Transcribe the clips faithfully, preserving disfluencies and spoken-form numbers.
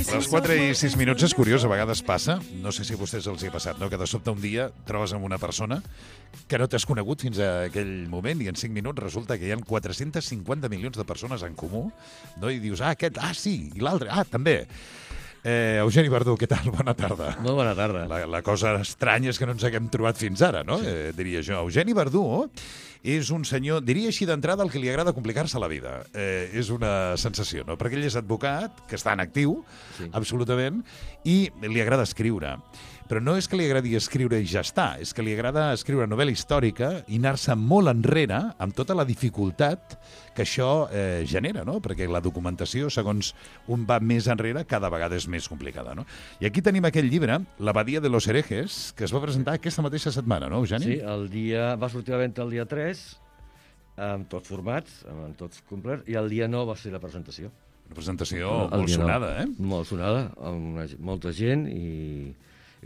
Les quatre i sis minuts és curiós, a vegades passa, no sé si a vostès els hi ha passat, no? Que de sobte un dia trobes amb una persona que no t'has conegut fins a aquell moment i en cinc minuts resulta que hi ha quatre-cents cinquanta milions de persones en comú, no? I dius, ah, aquest, ah, sí, i l'altre, ah, també. Eh, Eugeni Verdú, què tal? Bona tarda. Molt bona tarda. La, la cosa estranya és que no ens haguem trobat fins ara, no? Sí. Eh, diria jo. Eugeni Verdú és un senyor, diria així d'entrada, el que li agrada complicar-se la vida. Eh, és una sensació, no? Perquè ell és advocat, que està en actiu, sí. Absolutament, i li agrada escriure. Però no és que li agradi escriure i ja està, és que li agrada escriure novel·la històrica i anar-se molt enrere amb tota la dificultat que això eh, genera, no? Perquè la documentació, segons un va més enrere, cada vegada és més complicada, no? I aquí tenim aquell llibre, L'Abadia de los herejes, que es va presentar aquesta mateixa setmana, no, Eugeni? Sí, el dia, va sortir a la venda el dia tres, amb tots formats, amb tots complets, i el dia nou va ser la presentació. Una presentació el molt sonada, eh? Molt sonada, amb una, molta gent, i,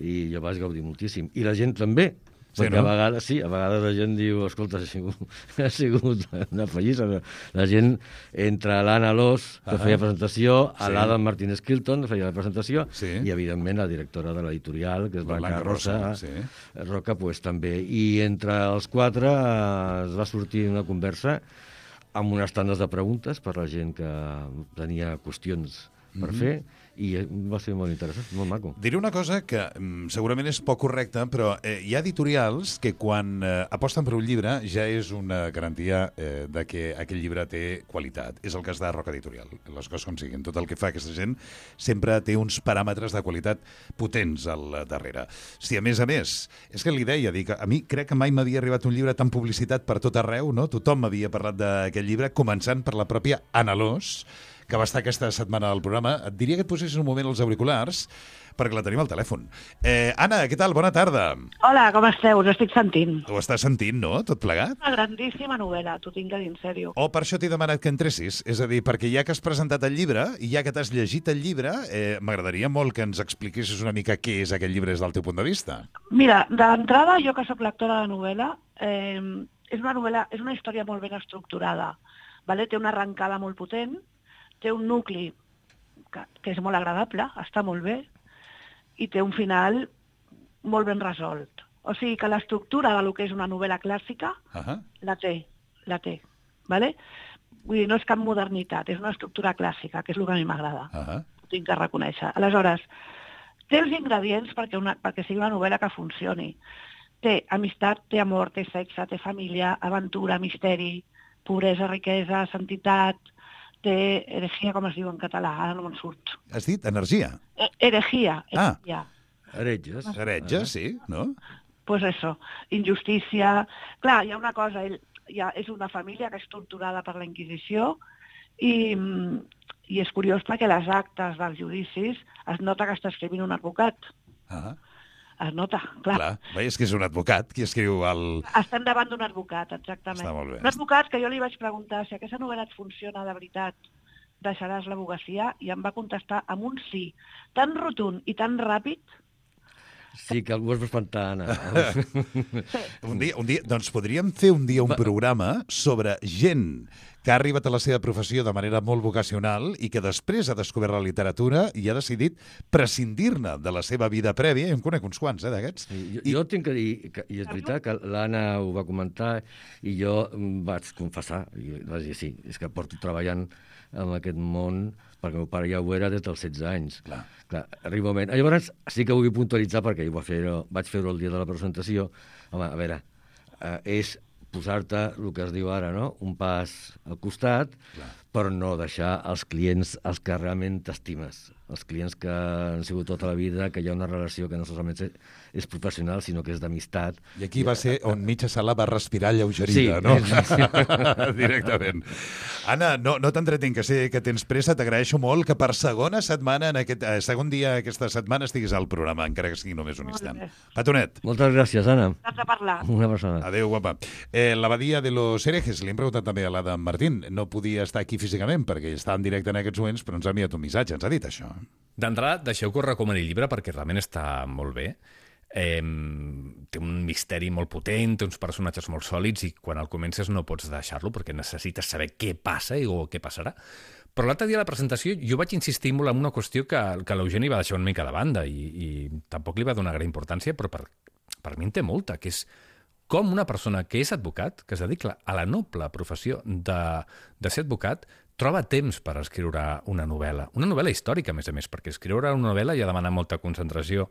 i jo vaig gaudir moltíssim. I la gent també, sí, perquè no? a vegades, sí, a vegades la gent diu, escolta, ha sigut, ha sigut una fallissa. La gent, entre l'Anna Alòs, que feia presentació, a sí. l'Adam Martínez Kilton, que feia la presentació, sí. i, evidentment, la directora de l'editorial, que és Blanca, Blanca Rosa, Rosa sí. Roca, pues, també. I entre els quatre eh, es va sortir una conversa amb unes tandes de preguntes per la gent que tenia qüestions per mm-hmm. fer, i va ser molt interessant, molt maco. Diré una cosa que mm, segurament és poc correcta, però eh, hi ha editorials que quan eh, aposten per un llibre ja és una garantia eh, de que aquell llibre té qualitat. És el cas de Roca Editorial, les coses com siguin. Tot el que fa aquesta gent sempre té uns paràmetres de qualitat potents al darrere. Si a més a més, és que li deia, dic, a mi crec que mai m'havia arribat un llibre tan publicitat per tot arreu, no? Tothom m'havia parlat d'aquest llibre, començant per la pròpia Anna Alòs, que va estar aquesta setmana al programa. Et diria que et posessis un moment els auriculars, perquè la tenim al telèfon. Eh, Anna, què tal? Bona tarda. Hola, com esteu? Us estic sentint. Ho estàs sentint, no? Tot plegat? Una grandíssima novel·la, t'ho tinc de dir en sèrio. Oh, per això t'he demanat que entressis. És a dir, perquè ja que has presentat el llibre i ja que t'has llegit el llibre, eh, m'agradaria molt que ens expliquessis una mica què és aquest llibre des del teu punt de vista. Mira, d'entrada, jo que sóc lectora de novel·la, eh, és una novel·la, és una història molt ben estructurada. Vale? Té una arrencada molt potent, té un nucli que, que és molt agradable, està molt bé, i té un final molt ben resolt. O sigui que l'estructura del que és una novel·la clàssica uh-huh. la té, la té. Vale? Vull dir, no és cap modernitat, és una estructura clàssica, que és el que a mi m'agrada. Uh-huh. Ho tinc que reconèixer. Aleshores, té els ingredients perquè, una, perquè sigui una novel·la que funcioni. Té amistat, té amor, té sexe, té família, aventura, misteri, pobresa, riquesa, sentitat, té heregia, com es diu en català, ara no me'n surt. Has dit energia? Eh, heregia. heregia. Ah, heretges. Heretges, sí, no? Pues eso, injustícia. Clar, hi ha una cosa, ell ja és una família que és torturada per la Inquisició i, i és curiós perquè les actes dels judicis es nota que està escrivint un advocat. Ah. Es nota, clar. Clar, bé, és que és un advocat qui escriu el... Estem davant d'un advocat, exactament. Està molt bé. Un advocat que jo li vaig preguntar si aquesta novel·la et funciona de veritat, deixaràs l'advocacia, i em va contestar amb un sí tan rotund i tan ràpid. Sí, que algú es va espantar, Anna. Sí. Un dia, un dia, doncs podríem fer un dia un programa sobre gent que ha arribat a la seva professió de manera molt vocacional i que després ha descobert la literatura i ha decidit prescindir-ne de la seva vida prèvia, i en conec uns quants, eh, d'aquests. Sí, jo, I... jo tinc que dir, que, i és veritat que l'Anna ho va comentar, i jo vaig confessar, i vaig dir sí, és que porto treballant en aquest món, perquè el meu pare ja ho era des dels setze anys. Clar. Clar, arriba un moment. Llavors sí que ho vull puntualitzar, perquè ho va fer, vaig fer-ho el dia de la presentació. Home, a veure, eh, és posar-te el que es diu ara, no? Un pas al costat, clar, però no deixar els clients els que realment t'estimes, els clients que han sigut tota la vida, que hi ha una relació que no solament és professional, sinó que és d'amistat. I aquí va ser on mitja sala va respirar lleugerida, sí, no? Sí. Directament. Anna, no, no t'entretinc, que sé que tens pressa, t'agraeixo molt que per segona setmana, en aquest eh, segon dia aquesta setmana, estiguis al programa, encara que sigui només un molt instant. Bé. Petonet. Moltes gràcies, Anna. Has de parlar. Una persona. Adéu, guapa. Eh, L'Abadia de los herejes, li hem preguntat també a l'Adam Martín. No podia estar aquí físicament perquè està en directe en aquests moments, però ens ha enviat un missatge, ens ha dit això. D'entrada, deixeu que us recomani el llibre perquè realment està molt bé. Eh, té un misteri molt potent, té uns personatges molt sòlids i quan el comences no pots deixar-lo perquè necessites saber què passa i o què passarà. Però l'altre dia a la presentació jo vaig insistir molt en una qüestió que, que l'Eugeni va deixar una mica de banda i, i tampoc li va donar gran importància, però per, per mi en té molta, que és com una persona que és advocat, que es dedica a la noble professió de, de ser advocat, troba temps per escriure una novel·la. Una novel·la històrica, a més a més, perquè escriure una novel·la ja demana molta concentració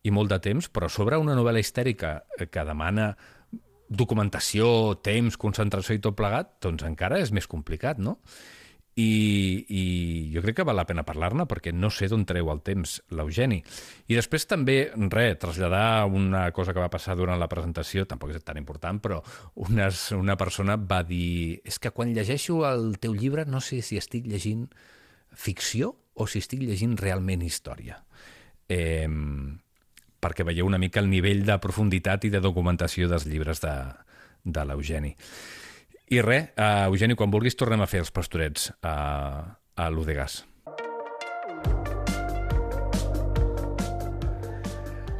i molt de temps, però sobre una novel·la histèrica que demana documentació, temps, concentració i tot plegat, doncs encara és més complicat, no? I, i jo crec que val la pena parlar-ne perquè no sé d'on treu el temps l'Eugeni. I després també, res, traslladar una cosa que va passar durant la presentació, tampoc és tan important, però unes, una persona va dir és que quan llegeixo el teu llibre no sé si estic llegint ficció o si estic llegint realment història. Eh, perquè veieu una mica el nivell de profunditat i de documentació dels llibres de, de l'Eugeni. I res, uh, Eugeni, quan vulguis tornem a fer els pastorets a, a l'U de Gas.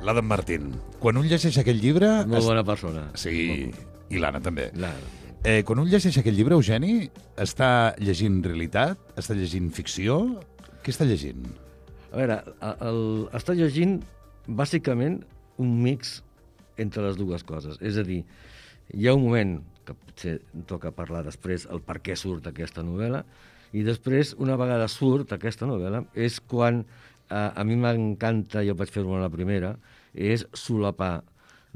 L'Adam Martín. Quan un llegeix aquell llibre... Molt bona persona. Sí, i l'Anna també. L'Anna. Eh, quan un llegeix aquell llibre, Eugeni, està llegint realitat? Està llegint ficció? Què està llegint? A veure, el, el, està llegint bàsicament un mix entre les dues coses. És a dir, hi ha un moment que potser toca parlar després el per què surt aquesta novel·la, i després, una vegada surt aquesta novel·la, és quan eh, a mi m'encanta, jo vaig fer-ho a la primera, és solapar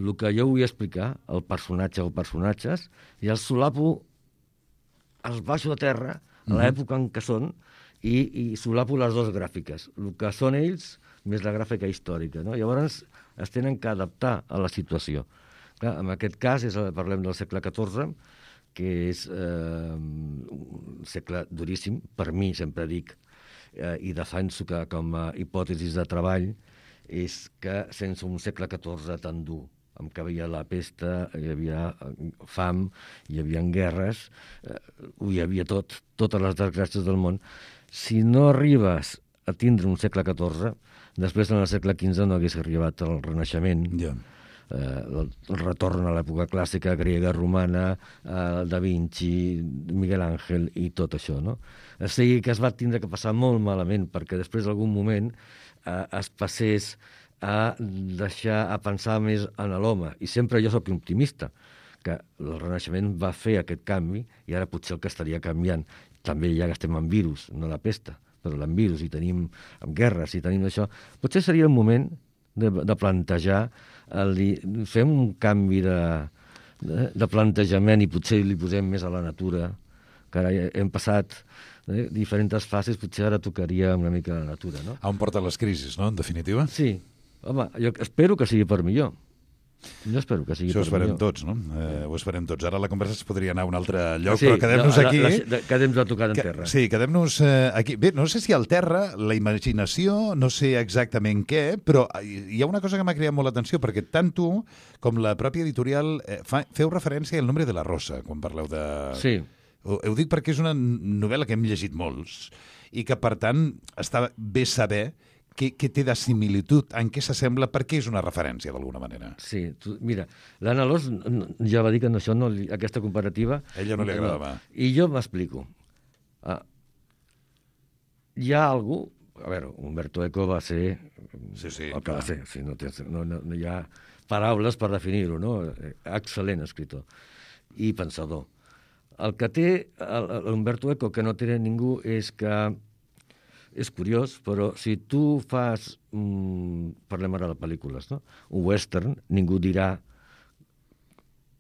el que jo vull explicar, el personatge o personatges, i els solapo, els baixo a terra, a l'època en què són, i, i solapo les dues gràfiques, el que són ells més la gràfica històrica. No? Llavors es tenen que adaptar a la situació. Clar, en aquest cas és, parlem del segle catorze, que és eh, un segle duríssim, per mi, sempre dic, eh, i defenso que com a hipòtesis de treball, és que sense un segle catorze tan dur, en què hi havia la pesta, hi havia fam, hi havia guerres, eh, hi havia tot, totes les desgràcies del món. Si no arribes a tindre un segle catorze, després en el segle quinze no hagués arribat al Renaixement, Yeah. Eh, el, el retorn a l'època clàssica grega, romana, eh, Da Vinci, Miguel Àngel i tot això, no? O sigui que es va tindre que passar molt malament perquè després d'algun moment eh, es passés a deixar, a pensar més en l'home. I sempre jo sóc optimista, que el Renaixement va fer aquest canvi i ara potser el que estaria canviant. També ja que estem en virus, no la pesta, però en virus i tenim en guerres i tenim això. Potser seria el moment de, de plantejar, el dir, fem un canvi de, de, de plantejament i potser li posem més a la natura, que ara hem passat eh, diferents fases, potser ara tocaria una mica la natura, no? A on porten les crisis, no?, en definitiva? Sí. Home, jo espero que sigui per millor. Jo espero que sigui Això ho per esperem millor. tots, no? Eh, ho esperem tots. Ara la conversa es podria anar a un altre lloc, Sí, però quedem-nos la- aquí. la- la- Quedem-nos a tocar en Que- terra. Sí, quedem-nos eh, aquí. Bé, no sé si al terra, la imaginació, no sé exactament què, però hi ha una cosa que m'ha cridat molt l'atenció, perquè tant tu com la pròpia editorial eh, fa, feu referència al Nombre de la Rosa, quan parleu de... Sí. Ho, ho dic perquè és una novel·la que hem llegit molts i que, per tant, està bé saber què, què té de similitud, en què s'assembla, perquè és una referència, d'alguna manera. Sí, tu, mira, l'Anna Alòs ja va dir que no, això no, li- aquesta comparativa... A ella no li agradava. I jo m'explico. Ah, hi ha algú... A veure, Umberto Eco va ser Sí, sí, el que clar. va ser. Sí, no, tens, no, no, no hi ha paraules per definir-ho, no? Excel·lent escritor i pensador. El que té l'Umberto Eco, que no té ningú, és que és curiós, però si tu fas, mm, parlem ara de pel·lícules, no? Un western, ningú dirà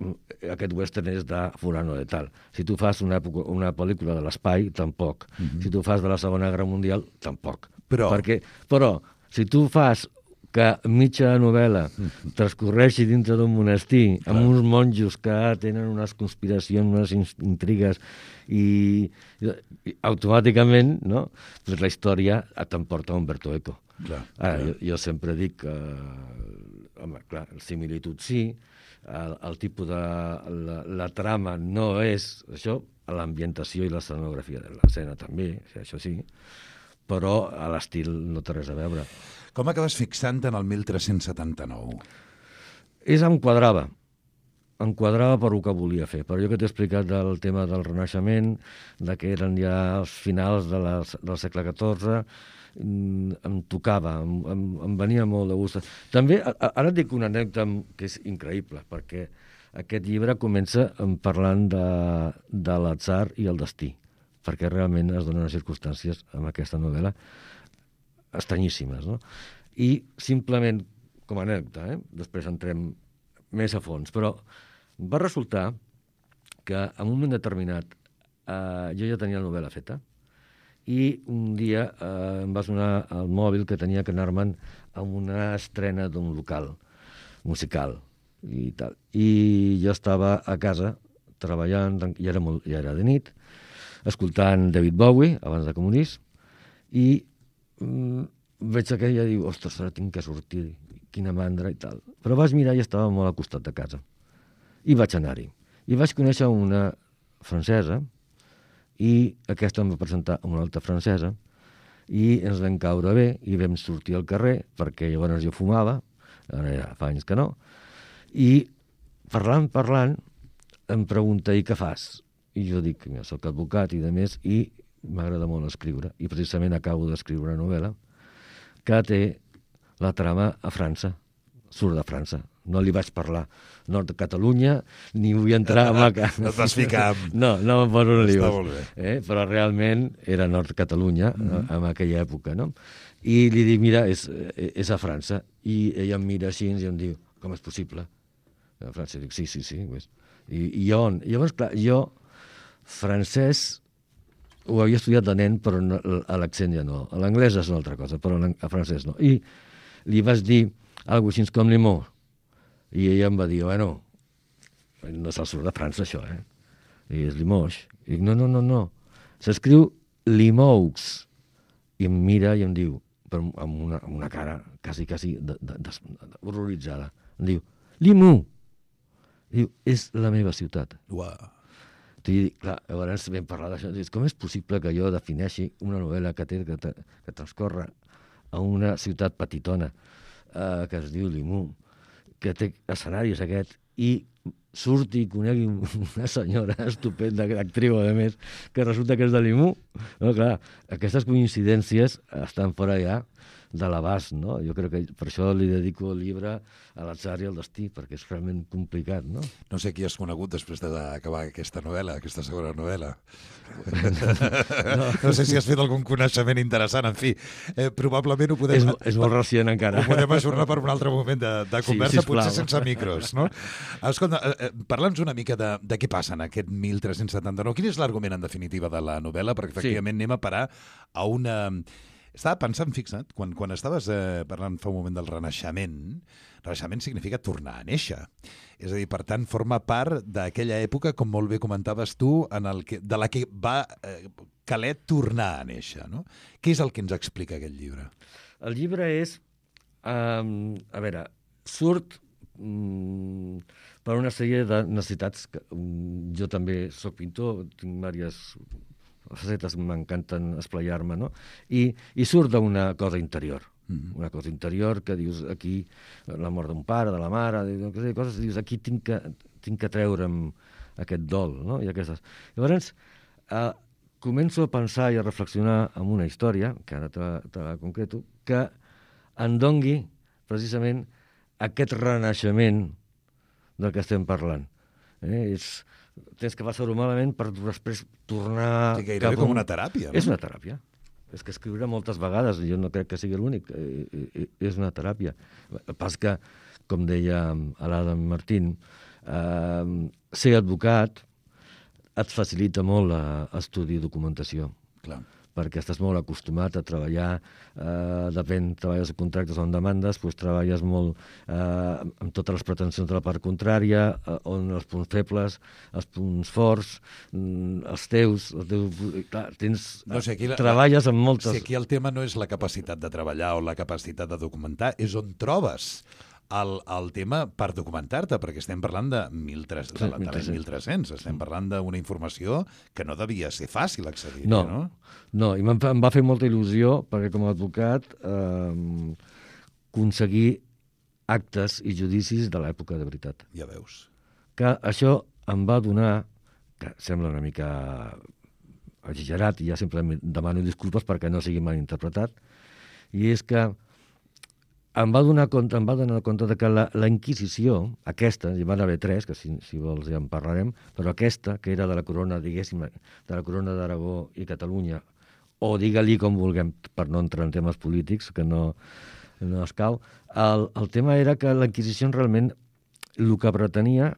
mm, aquest western és de fulano de tal. Si tu fas una, època, una pel·lícula de l'espai, tampoc. Mm-hmm. Si tu fas de la Segona Guerra Mundial, tampoc. Però- Perquè, però si tu fas que mitja novel·la transcorreixi dintre d'un monestir amb uns monjos que tenen unes conspiracions, unes in- intrigues i, i automàticament, no? Pues la història t'emporta Umberto Eco. Clar, Ara, clar. jo, jo sempre dic que, home, clar, el similitud sí, el, el tipus de... La, la trama no és això, l'ambientació i l'escenografia de l'escena també, això sí, però a l'estil no té res a veure. Com acabes fixant en el mil tres-cents setanta-nou? És em quadrava. enquadrava per el que volia fer. Però jo que t'he explicat del tema del Renaixement, de que eren ja els finals de les, del segle catorze, em tocava, em, em, em venia molt de gust. També, ara et dic una anècdota que és increïble, perquè aquest llibre comença parlant de, de l'atzar i el destí, perquè realment es donen unes circumstàncies amb aquesta novel·la estranyíssimes, no? I simplement, com a anècdota, eh? Després entrem més a fons, però va resultar que en un moment determinat eh, jo ja tenia la novel·la feta i un dia eh, em va sonar el mòbil que tenia que anar-me'n a una estrena d'un local musical i tal. I jo estava a casa treballant, ja era, molt, ja era de nit, escoltant David Bowie, abans de Comunist, i mm, veig aquella i diu, ostres, ara tinc que sortir, quina mandra i tal. Però vaig mirar i estava molt al costat de casa. I vaig anar-hi. I vaig conèixer una francesa i aquesta em va presentar una altra francesa i ens vam caure bé i vam sortir al carrer perquè llavors jo fumava, ara ja fa anys que no, i parlant, parlant, em pregunta, i què fas? I jo dic, mira, soc advocat i de més, i m'agrada molt escriure. I precisament acabo d'escriure una novel·la que té la trama a França, surt de França. No li vaig parlar nord de Catalunya, ni vull entrar en la... No et vas ficar amb... No, no em poso un lío. Està molt bé. Eh? Però realment era nord de Catalunya, Mm-hmm. en aquella època, no? I li dic, mira, és, és a França. I ella em mira així i em diu, com és possible? A França, dic, sí, sí, sí. I, i on? I llavors, clar, jo, francès, ho havia estudiat de nen, però no, a l'accent ja no. A l'anglès és una altra cosa, però a francès no. I li vaig dir alguna cosa així com Limoux. I ella em va dir, bueno, no se'l surt de França, això, eh? I és Limoux. I dic, no, no, no, no. S'escriu Limoux. I em mira i em diu, però amb una, amb una cara quasi, quasi de, de, de, de, horroritzada. Em diu, Limoux. I diu, és la meva ciutat. Uau. I, clar, llavors vam parlar d'això. Com és possible que jo defineixi una novel·la que, té, que, que transcorre a una ciutat petitona eh, que es diu Limoux, que té escenaris aquest, i surti i conegui una senyora estupenda, actriu, a més, que resulta que és de Limoux? No, clar, aquestes coincidències estan fora ja de l'abast, no? Jo crec que per això li dedico el llibre a l'atzar i al destí, perquè és realment complicat, no? No sé qui has conegut després d'acabar aquesta novel·la, aquesta segona novel·la. No. No sé si has fet algun coneixement interessant, en fi. Eh, probablement ho podem... És, és molt recient encara. Ho podem ajornar per un altre moment de, de conversa, sí, potser sense micros, no? Escolta, eh, parla'ns una mica de, de què passa en aquest mil tres-cents setanta-nou. Quin és l'argument, en definitiva, de la novel·la? Perquè, efectivament, sí. anem a parar a una... Estava pensant, fixa't, quan, quan estaves eh, parlant fa un moment del Renaixement, Renaixement significa tornar a néixer. És a dir, per tant, forma part d'aquella època, com molt bé comentaves tu, en el que, de la que va eh, caler tornar a néixer, no? Què és el que ens explica aquest llibre? El llibre és... Um, a veure, surt um, per una sèrie de necessitats. Que, um, jo també soc pintor, tinc diverses... facetes, m'encanten esplaiar-me, no? I, i surt d'una cosa interior, mm-hmm. una cosa interior que dius, aquí, la mort d'un pare, de la mare, de coses, dius, aquí tinc que, tinc que treure'm aquest dol, no? I aquestes. Llavors, eh, començo a pensar i a reflexionar en una història, que ara te, te la concreto, que em dongui, precisament, aquest renaixement del que estem parlant. Eh? És... tens que passar-ho malament per després tornar... Sí, gairebé com una teràpia, no? És una teràpia. És que escriure moltes vegades, jo no crec que sigui l'únic, eh, és una teràpia. Pas que, com deia l'Adam Martín, eh, ser advocat et facilita molt l'estudi i documentació. Clar. Perquè estàs molt acostumat a treballar, eh, depèn, treballes a contractes o en demandes, doncs treballes molt eh, amb totes les pretensions de la part contrària, eh, on els punts febles, els punts forts, mm, els teus, els teus clar, tens, no, si aquí la, treballes amb moltes... Si aquí el tema no és la capacitat de treballar o la capacitat de documentar, és on trobes el, el tema per documentar-te, perquè estem parlant de mil tres-cents, de l'any mil tres-cents, estem parlant d'una informació que no devia ser fàcil accedir. No, no, no i em va fer molta il·lusió, perquè com a advocat eh, aconseguir actes i judicis de l'època de veritat. Ja veus. que això em va donar, que sembla una mica exagerat, i ja sempre demano disculpes perquè no sigui mal interpretat, i és que em va donar compte, em va donar compte de que la, la Inquisició, aquesta, hi van haver tres, que si, si vols ja en parlarem, però aquesta, que era de la corona, diguéssim, de la corona d'Aragó i Catalunya, o digue-li com vulguem, per no entrar en temes polítics, que no, no escau, el, el tema era que la Inquisició realment el que pretenia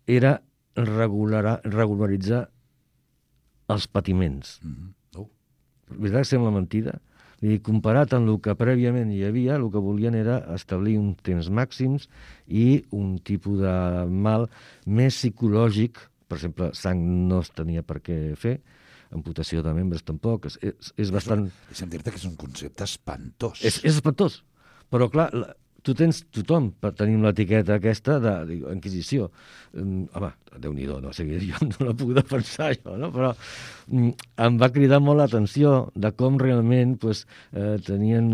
era regular, regularitzar els patiments. Mm-hmm. Oh. Veritat que sembla mentida? I comparat amb el que prèviament hi havia, el que volien era establir un temps màxims i un tipus de mal més psicològic. Per exemple, sang no es tenia per què fer, amputació de membres tampoc. És, és, és bastant... Deixa'm dir-te que és un concepte espantós. És, és espantós. Però, clar, la, tu tens tothom per tenir l'etiqueta aquesta de, de Inquisició. Um, home, Déu-n'hi-do, no? O sigui, jo no la puc defensar, això, no? Però um, em va cridar molt l'atenció de com realment pues, eh, tenien